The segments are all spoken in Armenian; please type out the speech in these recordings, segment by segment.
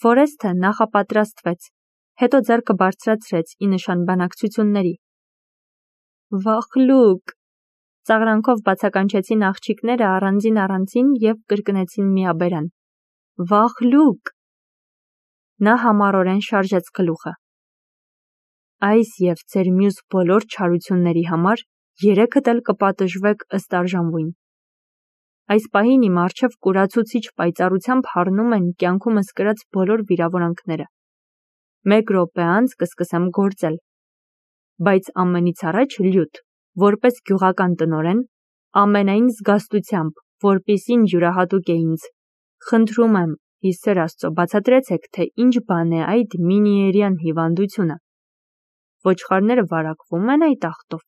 Ֆորեսթը նախապատրաստվեց, հետո ձեռքը բարձրացրեց ի նշան բանակցությունների։ Վախլուկ, ծաղրանքով բացականչեցին աղջիկները առանձին և կրկնեցին միաբերան։ Վախլուկ։ Նա համառորեն շարժեց գլուխը։ Այս և ձեր մյուս բոլոր չարությունների համար երեքդ էլ կպատժվեք ըստ արժանվույն։ Այս պահին իմ առջև կուրացուցիչ պայծառությամբ հառնում են կյանքումս կրած բոլոր վիրավորանքները։ 1 րոպե անց կսկսեմ գործել։ Բայց ամենից առաջ լյուտ, որպես գյուղական տնօրեն, ամենայն զգաստությամբ, որպիսին յուրահատուկ է ինձ, խնդրում եմ, ի սեր Աստծո, բացատրեցեք, թե ինչ բան է այդ մինիերյան հիվանդությունը։ Ոչխարները վարակվում են այդ ախտով։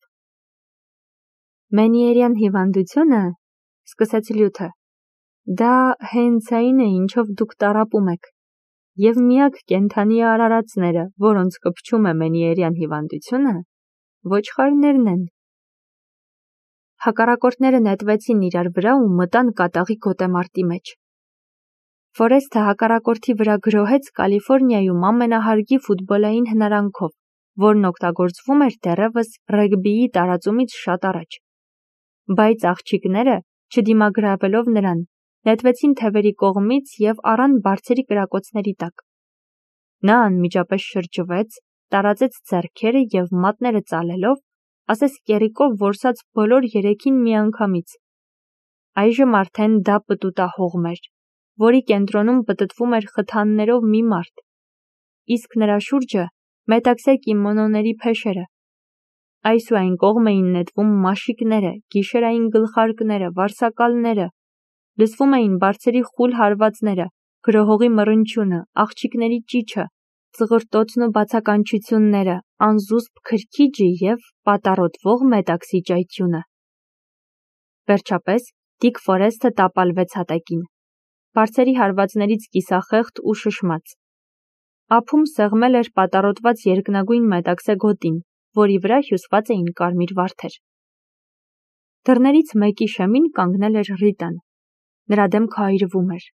Մենիերյան հիվանդությունը, սկսեց լյութը, դա հենց այն է, ինչով դուք տառապում եք, և միակ կենդանի արարածները, որոնց կպչում է մենիերյան հիվանդությունը, ոչխարներն են։ Հակառակորդները նետվեցին իրար վրա ու մտան կատաղի գոտեմարտի մեջ։ Ֆորեսթը հակառակորդի վրա գրոհեց Կալիֆորնիայում ամենահարգի ֆուտբոլային հնարանքով, որն օգտագործվում էր դեռևս ռեգբիի տարածումից շատ առաջ։ Բայց աղջիկները, չդիմագրավելով նրան, նետվեցին թևերի կողմից և առան բարձրի կրակոցների տակ։ Նա անմիջապես շրջվեց, տարածեց ձեռքերը և մատները ծալելով, ասես կեռիկով որսաց բոլոր երեքին միանգամից։ Այժմ արդեն դա պտուտահողմ էր, որի կենտրոնում պտտվում էր խթաններով մի մարդ, իսկ նրա շուրջը մետաքսե կիմոնոների փեշերը։ Այս ու այն կողմ էին նետվում մաշիկները, գիշերային գլխարկները, վարսակալները, լսվում էին բարձրի խուլ հարվածները, գրոհողի մռնչյունը, աղջիկների ճիչը, ծղրտոցն ու բացականչությունները, անզուսպ քրքիջը և պատառոտվող մետաքսի ճայթյունը։ Վերջապես Դիկ Ֆորեսթը տապալվեց հատակին, բարձրի հարվածներից կիսախեղդ ու շշմած։ Ափում սեղմել էր պատառոտված երկնագույն մետաքսե գոտին, որի վրա հյուսված էին կարմիր վարդեր։ Դռներից մեկի շեմին կանգնել էր Ռիտան։ Նրա դեմքը այրվում էր։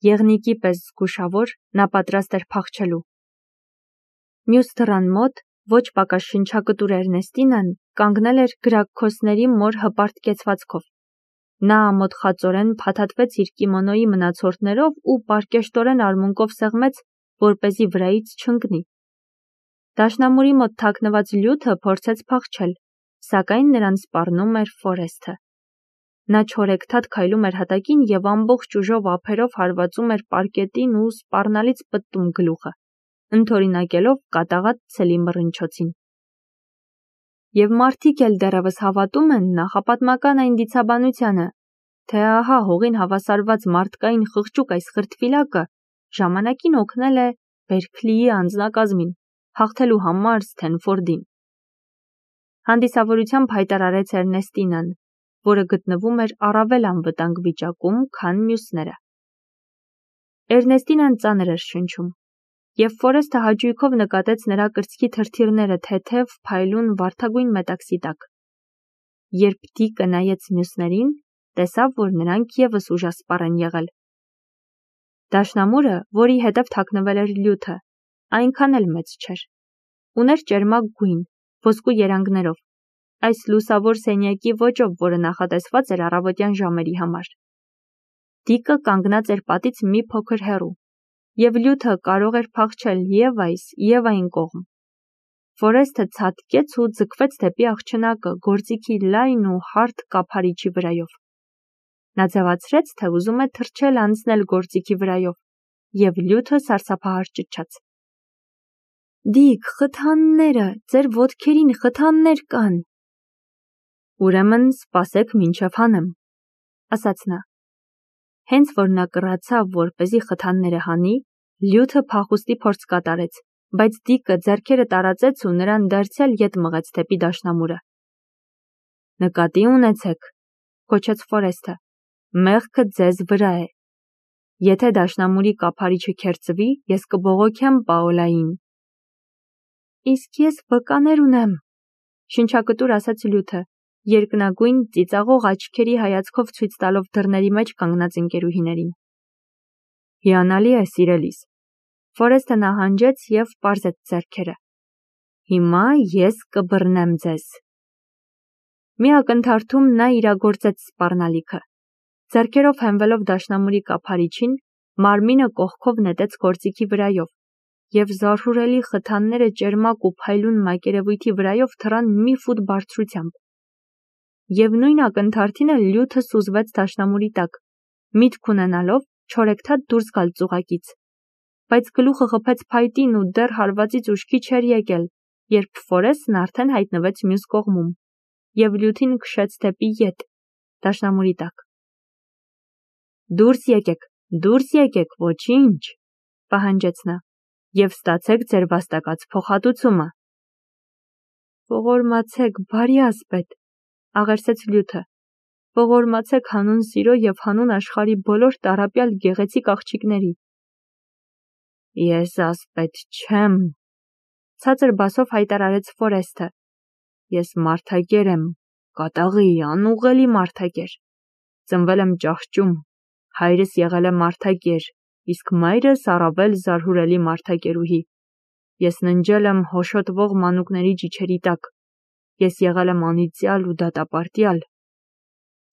Եղնիկի պես զգուշավոր, նա պատրաստ էր փախչելու։ Մյուս դռան մոտ, ոչ պակաս շնչակտուր Էրնեստինան կանգնել էր գրաքոսների մոր հպարտ կեցվածքով։ Նա ամոթխածորեն փաթաթվեց իր կիմոնոյի մնացորդներով ու պարկեշտորեն արմունկով սեղմեց, որպեսզի վրայից չընկնի։ Դաշնամուրի մոտ թաքնված լյութը փորձեց փախչել, սակայն նրան սպառնում էր Ֆորեսթը։ Նա չորեքթաթ քայլում էր հատակին և ամբողջ ուժով ափերով հարվածում էր պարկետին ու սպառնալից պտտում գլուխը, ընդօրինակելով կատաղած ցելի մռնչոցին։ Եվ մարդիկ էլ դեռևս հավատում են նախապատմական այն դիցաբանությանը, թե ահա հողին հավասարված մարդկային խղճուկ այս խրտվիլակը ժամանակին օգնել է Բերքլիի անձնակազմին, հաղթելու համար Սթենֆորդին։ Հանդիսավորությամբ հայտարարեց Էրնեստինան, որը գտնվում էր առավել անվտանգ վիճակում, քան մյուսները։ Էրնեստինան ծանր էր շնչում, և Ֆորեսթը հաճույքով նկատեց նրա կրծքի թրթիռները թեթև, փայլուն, վարդագույն մետաքսի տակ։ Երբ Դիկը նայեց մյուսներին, տեսավ, որ նրանք ևս ուժասպառ են եղել։ Դաշնամուրը, որի հետև թաքնվել էր լյութը, այնքան էլ մեծ չէր։ Ուներ ճերմակ գույն, ոսկու երանգներով, այս լուսավոր սենյակի ոճով, որը նախատեսված էր առավոտյան ժամերի համար։ Դիկը կանգնած էր պատից մի փոքր հեռու, և լյութը կարող էր փախչել և այս, և այն կողմ։ Ֆորեսթը ցատկեց ու ձգվեց դեպի աղջնակը գործիքի լայն ու հարթ կափարիչի վրայով։ Նա ձևացրեց, թե ուզում է թռչել անցնել գործիքի վրայով, և լյութը սարսափահար ճչաց. Դիկ, խթանները, ձեր ոտքերին խթաններ կան։ Ուրեմն սպասեք մինչև հանեմ, ասաց նա։ Հենց որ նա կռացավ, որպեսզի խթանները հանի, լյութը փախուստի փորձ կատարեց, բայց Դիկը ձեռքերը տարածեց ու նրան դարձյալ ետ մղեց դեպի դաշնամուրը։ Նկատի ունեցեք, գոչեց Ֆորեսթը, մեղքը ձեզ վրա է։ Եթե դաշնամուրի կափարիչը քերծվի, ես կբողոքեմ Պաոլային։ Իսկ ես վկաներ ունեմ, շնչակտուր ասաց լյութը, երկնագույն ծիծաղող աչքերի հայացքով ցույց տալով դռների մեջ կանգնած ընկերուհիներին։ Հիանալի է, սիրելիս, Ֆորեստը նահանջեց և պարզեց ձեռքերը։ Հիմա ես կբռնեմ ձեզ։ Մի ակնթարթում նա իրագործեց սպառնալիքը։ Ձեռքերով հենվելով դաշնամուրի կափարիչին, մարմինը կողքով նետեց գործիքի վրայով, և զարհուրելի խթանները ճերմակ ու փայլուն մակերևույթի վրայով թռան մի ֆուտ բարձրությամբ։ Եվ նույն ակնթարթին էլ լյութը սուզվեց դաշնամուրի տակ, միտք ունենալով չորեքթաթ դուրս գալ ծուղակից։ Բայց գլուխը խփեց փայտին ու դեռ հարվածից ուշքի չէր եկել, երբ Ֆորեստն արդեն հայտնվեց մյուս կողմում և լյութին քշեց դեպի ետ, դաշնամուրի տակ։ Դուրս եկեք, ոչինչ, պահանջեց նա, և ստացեք ձեր վաստակած փոխհատուցումը։ Ողորմացեք, բարի ասպետ, աղերսեց լյութը, ողորմացեք հանուն սիրո և հանուն աշխարհի բոլոր տառապյալ գեղեցիկ աղջիկների։ Ես ասպետ չեմ, ցածր բասով հայտարարեց Ֆորեստը։ Ես մարդագեր եմ, կատաղի, անուղղելի մարդագեր։ Ծնվել եմ ճահճում, հայրս եղել է մարդագեր, իսկ մայրս առավել զարհուրելի մարդագերուհի։ Ես ննջել եմ հոշոտվող մանուկների ճիչերի տակ։ Ես եղել եմ անիծյալ ու դատապարտյալ։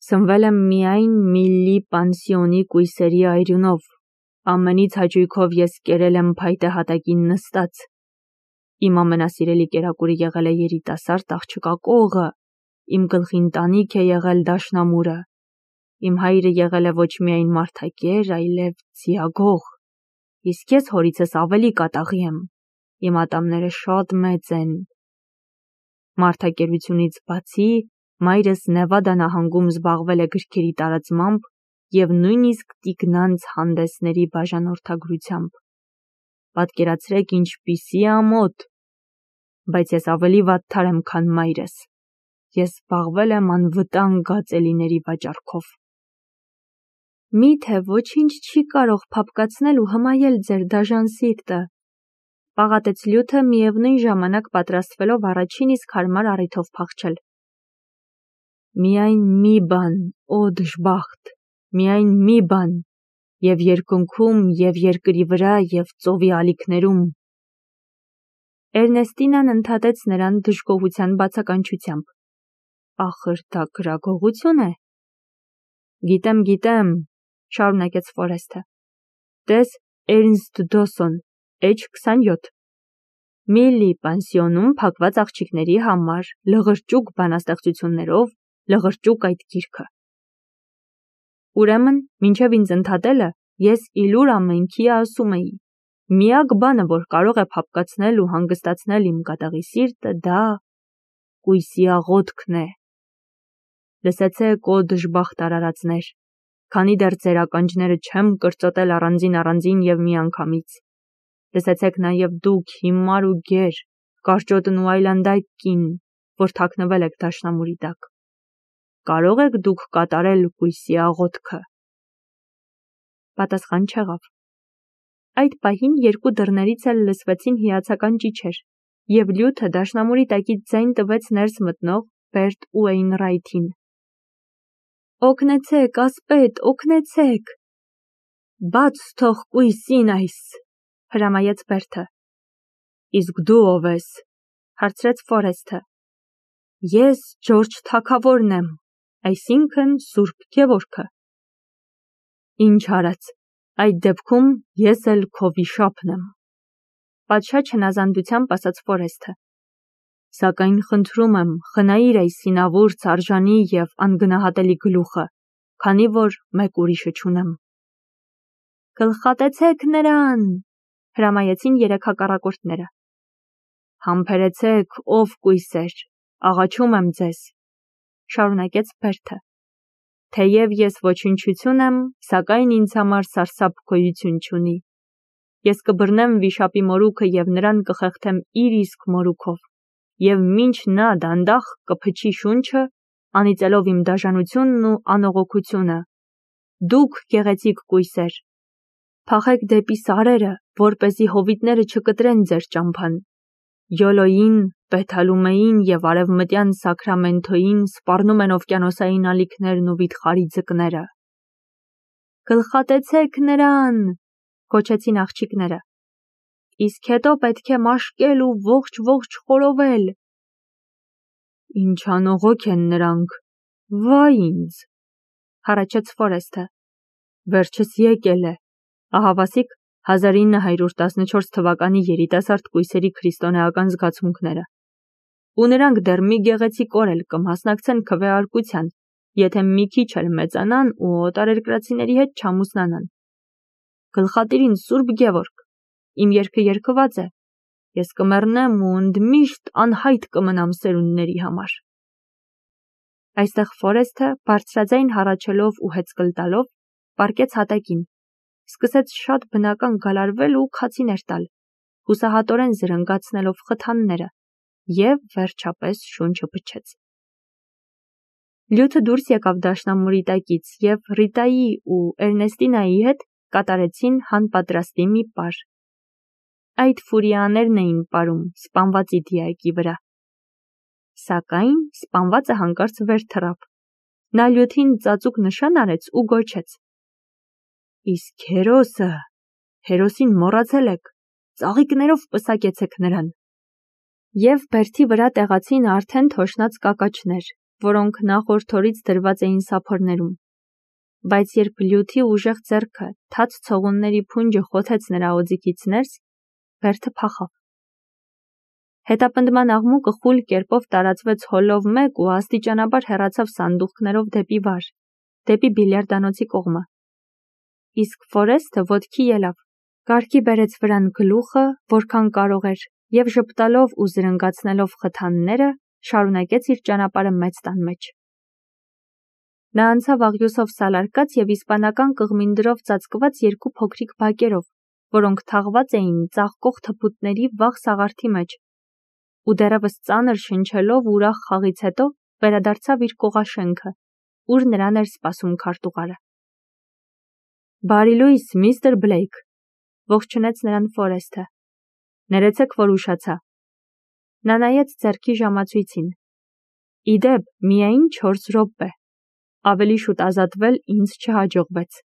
Սնվել եմ միայն Միլլի պանսիոնի կույսերի այրունով։ Ամենից հաճույքով ես կերել եմ փայտե հատակին նստած։ Իմ ամենասիրելի կերակուրը եղել է երիտասարդ աղջկա կողը, իմ գլխին տանիք է եղել դաշնամուրը։ Իմ հայրը եղել է ոչ միայն մարդագեր, այլև ձիագող, իսկ ես հորիցս ավելի կատաղի եմ, իմ ատամները շատ մեծ են։ Մարդագերությունից բացի, մայրս Նևադա նահանգում զբաղվել է գրքերի տարածմամբ և նույնիսկ տիկնանց հանդեսների բաժանորդագրությամբ։ Պատկերացրեք ինչպիսի ամոթ, բայց ես ավելի վատթար եմ, քան մայրս։ Ես զբաղվել եմ անվտանգ գածելիների վաճառքով։ Միթե ոչինչ չի կարող փափկացնել ու հմայել ձեր դաժան սիրտը, պաղատեց լյութը, միևնույն ժամանակ պատրաստվելով առաջին իսկ հարմար առիթով փախչել։ Միայն մի բան, օ դժբախտ, միայն մի բան, և երկնքում, և երկրի վրա, և ծովի ալիքներում։ Էրնեստինան ընդհատեց նրան դժգոհության բացականչությամբ։ Ախր դա գրագողություն է։ Գիտեմ, շարունակեց Ֆորեստը։ Տես Էրնստ Դոսոն, H27։ Միլլի պանսիոնում փակված աղջիկների համար լղրճուկ բանաստեղծություններով, լղրճուկ այդ գիրքը։ Ուրեմն, մինչև ինձ ընդհատելը, ես իլուր ամենքի ասում էի. միակ բանը, որ կարող է փափկացնել ու հանգստացնել իմ կատաղի սիրտը, դա կույսի աղոթքն է։ Լսեցեք, օ դժբախտ արարածներ, քանի դեռ ձեր ականջները չեմ կրծոտել առանձին և միանգամից։ Լսեցեք նաև դուք հիմար ու գեր, կարճոտն ու այլանդակ կին, որ թաքնվել եք դաշնամուրի տակ։ Կարո՞ղ եք դուք կատարել կույսի աղոթքը։ Պատասխան չեղավ։ Այդ պահին երկու դռներից էլ լսվեցին հիացական ճիչեր, և լյութը դաշնամուրի տակից ձայն տվեց ներս մտնող Բերտ Ուեյնռայթին։ Օգնեցեք, ասպետ, օգնեցեք։ Բաց թող կույսին այս, հրամայեց Բերտը։ Իսկ դու ով ես, հարցրեց Ֆորեստը։ Ես Ջորջ թագավորն եմ, այսինքն Սուրբ Գևորգը։ Ինչ արած, այդ դեպքում ես էլ քո վիշապն եմ, պատշաճ հնազանդությամբ ասաց Ֆորեստը։ Սակայն խնդրում եմ, խնայիր այս հինավուրց, արժանի և անգնահատելի գլուխը, քանի որ մեկ ուրիշը չունեմ։ Գլխատեցեք նրան, հրամայեցին երեք հակառակորդները։ Համբերեցեք, ով կույսեր, աղաչում եմ ձեզ, շարունակեց Բերտը։ Թեև ես ոչնչություն եմ, սակայն ինձ համար սարսափ գոյություն չունի։ Ես կբռնեմ վիշապի մորուքը և նրան կխեղդեմ իր իսկ մորուքով, և մինչ նա դանդաղ կփչի շունչը, անիծելով իմ դաժանությունն ու անողոքությունը։ Դուք գեղեցիկ կույսեր, փախեք դեպի սարերը, որպեսզի հովիտները չկտրեն ձեր ճամփան։ Յոլոյին, Բեթալումեին և արևմտյան Սաքրամենթոյին սպառնում են օվկիանոսային ալիքներն ու վիթխարի ձկները։ Գլխատեցեք նրան, գոչեցին աղջիկները։ Իսկ հետո պետք է մաշկել ու ողջ խորովել։ Ինչ անողոք են նրանք, վայ ինձ, հառաչեց Ֆորեսթը։ Վերջս եկել է, ահավասիկ 1914 թվականի երիտասարդ կույսերի քրիստոնեական զգացմունքները։ Ու նրանք դեռ մի գեղեցիկ օր էլ կմասնակցեն քվեարկության, եթե մի քիչ էլ մեծանան ու օտարերկրացիների հետ չամուսնանան։ Գլխատիրին Սուրբ Գևորգ, իմ երգը երգված է, ես կմեռնեմ ու ընդմիշտ անհայտ կմնամ սերունդների համար։ Այստեղ Ֆորեսթը բարձրաձայն հառաչելով ու հեծկլ տալով պառկեց հատակին, սկսեց շատ բնական գալարվել ու քացիներ տալ, հուսահատորեն զրնգացնելով խթանները և վերջապես շունչը փչեց։ Լյութը դուրս եկավ դաշնամուրի տակից և Ռիտայի ու Էրնեստինայի հետ կատարեցին հանպատրաստի մի պար։ Այդ ֆուրիաներն էին պարում սպանվածի դիակի վրա։ Սակայն սպանվածը հանկարծ վեր թռավ։ Նա լյութին ծածուկ նշան արեց ու գոչեց. Իսկ հերոսին մոռացել եք, ծաղիկներով պսակեցեք նրան։ Եվ բերդի վրա տեղացին արդեն թոշնած կակաչներ, որոնք նախորդ օրից դրված էին սափորներում։ Բայց երբ լյութի ուժեղ ձեռքը թաց ցողունների փունջը խոթեց նրա օձիքից ներս, բերդը փախավ։ Հետապնդման աղմուկը խուլ կերպով տարածվեց հոլով մեկ ու աստիճանաբար հեռացավ սանդուղքներով դեպի վար, դեպի բիլիարդանոցի կողմը։ Իսկ Ֆորեսթը ոտքի ելավ, կարգի բերեց վրան գլուխը, որքան կարող էր, և ժպտալով ու զրնգացնելով խթանները, շարունակեց իր ճանապարհը մեծ տան մեջ։ Նա անցավ աղյուսով սալարկած և իսպանական կղմինդրով ծածկված երկու փոքրիկ բակերով, որոնք թաղված էին ծաղկող թփուտների վաղ սաղարթի մեջ, ու դեռևս ծանր շնչելով ուրախ խաղից հետո վերադարձավ իր կողաշենքը, ուր նրան էր սպասում քարտուղարը։ Բարի լույս, միստր Բլեյք, ողջունեց նրան Ֆորեսթը։ Ներեցեք, որ ուշացա։ Նա նայեց ձեռքի ժամացույցին։ Ի դեպ, միայն 4 րոպե։ Ավելի շուտ ազատվել ինձ չհաջողվեց։